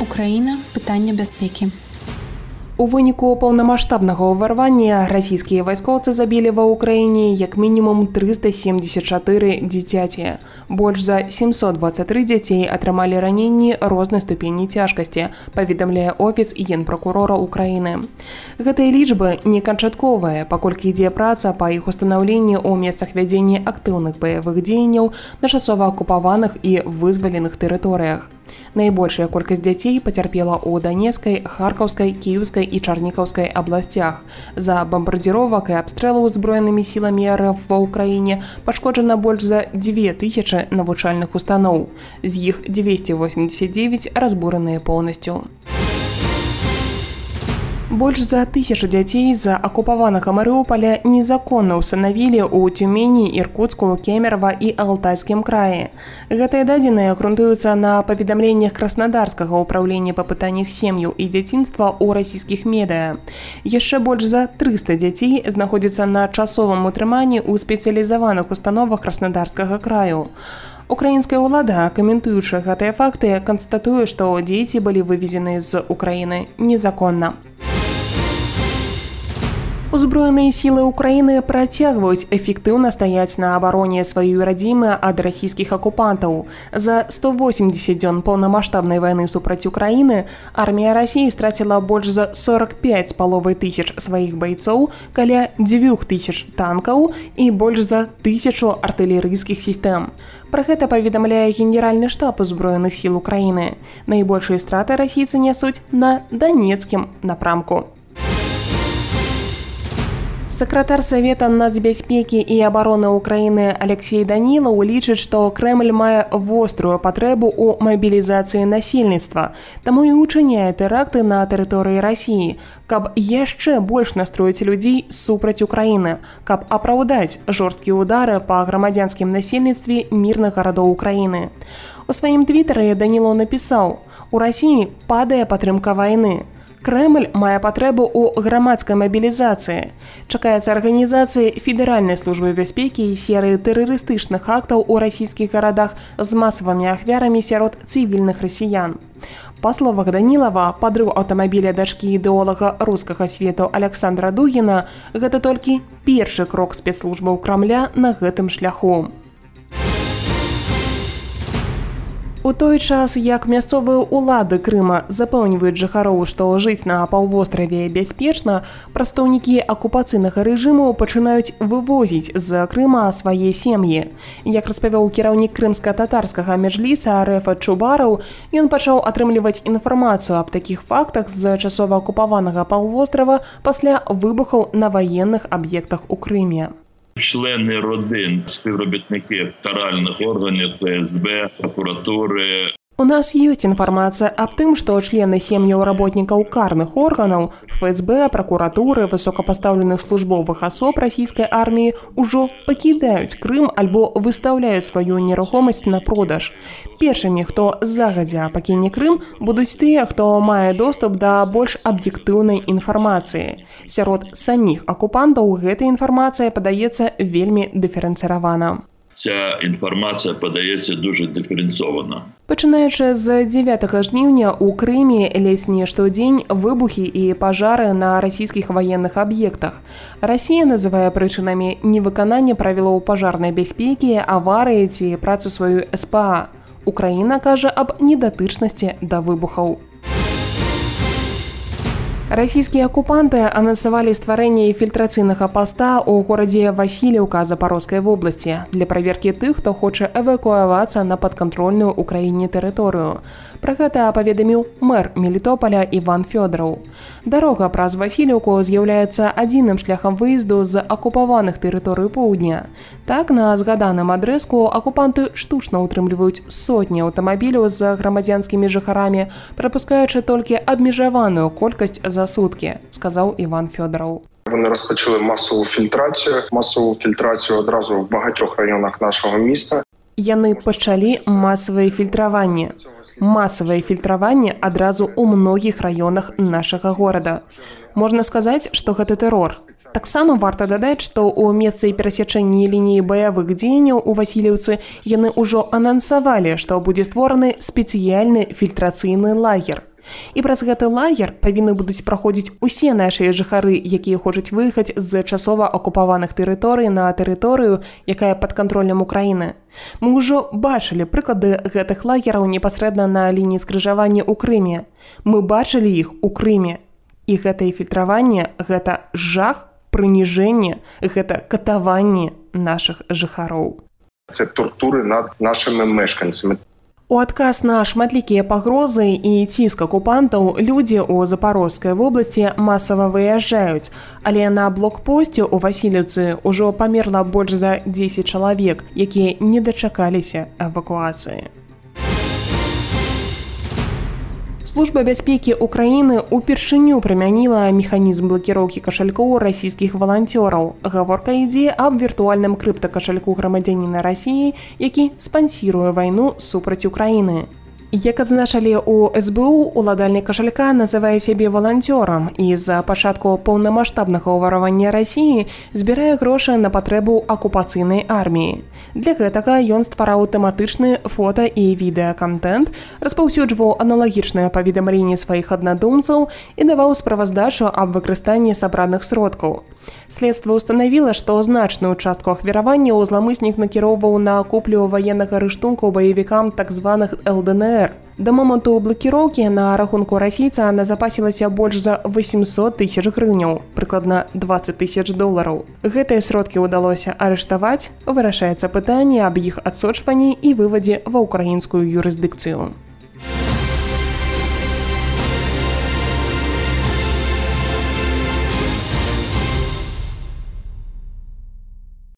Украіна – пытанне бяспекі. У выніку паўнамаштабнага ўварвання расійскія вайскоўцы забілі ва ўкраіне як мінімум 374 дзіцяці. Больш за 723 дзяцей атрымалі раненні рознай ступені цяжкасці, паведамляе офіс генпракурора Украіны. Гэтыя лічбы не канчатковыя, паколькі ідзе праца па іх устанаўленні ў месцах вядзення актыўных баявых дзеянняў на часова акупаваных і вызваленых тэрыторыях. Найбольшая колькасць дзяцей пацярпела ў Данецкай, Харкаўскай, Кіеўскай і Чарнікаўскай абласцях. За бамбардзіровак і абстрэлаў узброенымі сіламі РФ ва ўкраіне пашкоджана больш за 2000 навучальных устаноў. З іх 289 разбураныя поўнасцю. Больш за 1000 дзяцей з акупаванага Марыуполя незаконна ўстанавілі ў Тюмені, Іркуцку, Кемерово і Алтайскім краі. Гэтыя дадзеныя грунтуюцца на паведамленнях Краснодарскага ўправлення па пытаннях сем'яў і дзяцінства ў расійскіх медыа. Яшчэ больш за 300 дзяцей знаходзяцца на часовым утрыманні ў спецыялізаваных установах Краснодарскага краю. Украінская ўлада, каментуючы гэтыя факты, канстатуе, што дзеці былі вывезены з Украіны незаконна. Узброеныя сілы Украіны працягваюць эфектыўна стаяць на абароне сваёй радзімы ад расійскіх акупантаў. За 180 дзён паўнамаштабнай вайны супраць Украіны армія Расіі страціла больш за 45 500 сваіх байцоў, каля 2000 танкаў і больш за 1000 артылерыйскіх сістэм. Пра гэта паведамляе генеральны штаб узброеных сіл Украіны. Найбольшыя страты расійцы нясуць на Данецкім напрамку. Сакратар Савета нацбяспекі і абароны Украіны Алексей Данілаў лічыць, што Крэмль мае вострую патрэбу ў мабілізацыі насельніцтва, таму і ўчыняе тэракты на тэрыторыі Расіі, каб яшчэ больш настроіць людзей супраць Украіны, каб апраўдаць жорсткія ўдары па грамадзянскім насельніцтве мірных гарадоў Украіны. У сваім твітары Данілаў напісаў: «У Расіі падае падтрымка вайны. Крэмль мае патрэбу ў грамадскай мабілізацыі. Чакаецца арганізацыі Федэральнай службы бяспекі і серыі тэрарыстычных актаў у расійскіх гарадах з масавымі ахвярамі сярод цывільных расіян». Па словах Данілава, падрыў аўтамабіля дачкі ідэолага рускага свету Александра Дугіна – гэта толькі першы крок спецслужбаў Крамля на гэтым шляху. У той час, як мясцовыя ўлады Крыма запэўніваюць жыхароў, што жыць на паўвостраве бяспечна, прадстаўнікі акупацыйнага рэжыму пачынаюць вывозіць з Крыма свае сем'і. Як распавёў кіраўнік крымска-татарскага меджліса РФ Чубараў, ён пачаў атрымліваць інфармацыю аб такіх фактах з часова акупаванага паўвострава пасля выбухаў на ваенных аб'ектах у Крыме. Члени родин, співробітники каральних органів, ФСБ, прокуратури. У нас ёсць інфармацыя аб тым, што члены сем'яў работнікаў карных органаў, ФСБ, пракуратуры, высокапастаўленых службовых асоб расійскай арміі ўжо пакідаюць Крым альбо выстаўляюць сваю нерухомасць на продаж. Першымі, хто загадзя пакіне Крым, будуць тыя, хто мае доступ да больш аб'ектыўнай інфармацыі. Сярод саміх акупантаў гэта інфармацыя падаецца вельмі дыферэнцыравана. Ця інфармація подається дуже диференцовано. Пачынаючы з 9 жніўня у Крыме ледзь не штодзень выбухі і пажары на расійскіх ваенных аб'ектах. Расія называе прычынамі невыканання правілаў пажарнай бяспекі, аварыі ці працу сваю СПА. Украіна кажа аб недатычнасці да выбухаў. Расійскія акупанты анансавалі стварэнне фільтрацыйнага паста ў горадзе Васіліўка Запарожскай вобласці для праверкі тых, хто хоча эвакуавацца на падкантрольную Украіне тэрыторыю. Пра гэта паведаміў мэр Мелітополя Іван Фёдораў. Дарога праз Васіліўку з'яўляецца адзіным шляхам выезду з акупаваных тэрыторый поўдня. Так, на згаданым адрэску акупанты штучна ўтрымліваюць сотні аўтамабіляў з грамадзянскімі жыхарамі, прапускаючы толькі абмежаваную колькасць за сутки, сказав Іван Фёдоров. Вони розпочали масову фільтрацію одразу в багатьох районах нашого міста. Яны пачалі масавае фільтраванне адразу ў многіх раёнах нашага горада. Можна сказаць, што гэта тэрор. Таксама варта дадаць, што ў месцы перасячэння лініі баявых дзеянняў у Васіліўцы яны ўжо анансавалі, што будзе створаны спецыяльны фільтрацыйны лагер. І праз гэты лагер павінны будуць праходзіць усе нашыя жыхары, якія хочуць выехаць з часова акупаваных тэрыторый на тэрыторыю, якая пад кантролем Украіны. Мы ўжо бачылі прыклады гэтых лагераў непасрэдна на лініі скрыжавання ў Крыме. Мы бачылі іх у Крыме. І гэтае фільтраванне – гэта жах, прыніжэнне, гэта катаванне нашых жыхароў. Це тортури над нашими мешканцями. У адказ на шматлікія пагрозы і ціск акупантаў людзі ў Запарожскай вобласці масава выязджаюць, але на блокпосце ў Васіліўцы ўжо памерла больш за 10 чалавек, якія не дачакаліся эвакуацыі. Служба бяспекі Украіны упершыню прымяніла механізм блакіроўкі кашалькоў расійскіх валанцёраў. Гаворка ідзе аб віртуальным крыптакашальку грамадзяніна Расіі, які спансіруе вайну супраць Украіны. Як адзначалі ў СБУ, уладальнік кашалька называе сябе валанцёрам і з-за пачатку паўнамаштабнага ўваравання Расіі збірае грошы на патрэбу акупацыйнай арміі. Для гэтага ён ствараў тэматычны фота- і відэакантэнт, распаўсюджваў аналагічныя паведамленні сваіх аднадумцаў і даваў справаздачу аб выкарыстанні сабраных сродкаў. Следства ўстанавіла, што значную частку ахвяраванняў зламыснік накіроўваў на куплю ваеннага рыштунку баевікам так званых ЛДНР. Да моманту блакіроўкі на рахунку расійца назапасілася больш за 800 000 грыўняў, прыкладна $20 000. Гэтыя сродкі ўдалося арыштаваць, вырашаецца пытанне аб іх адсочванні і вывадзе ва ўкраінскую юрысдыкцыю.